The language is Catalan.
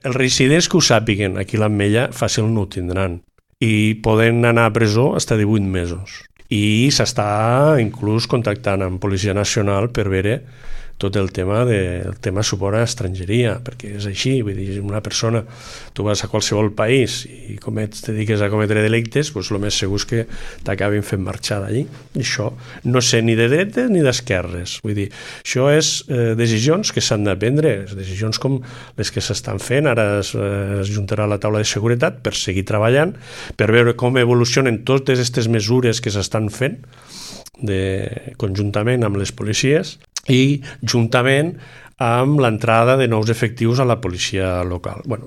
els residents que ho sàpiguen aquí a l'Ametlla fàcil no ho tindran i poden anar a presó fins a 18 mesos. I s'està inclús contactant amb Policia Nacional per veure tot el tema suport a estrangeria, perquè és així, vull dir, una persona, tu vas a qualsevol país i te dediques a cometre delictes, doncs el més segur és que t'acabin fent marxar d'allí. I això no sé ni de dretes ni d'esquerres, vull dir, això és decisions que s'han de prendre, decisions com les que s'estan fent, ara es juntarà la taula de seguretat per seguir treballant, per veure com evolucionen totes aquestes mesures que s'estan fent conjuntament amb les policies i juntament amb l'entrada de nous efectius a la policia local. Bueno,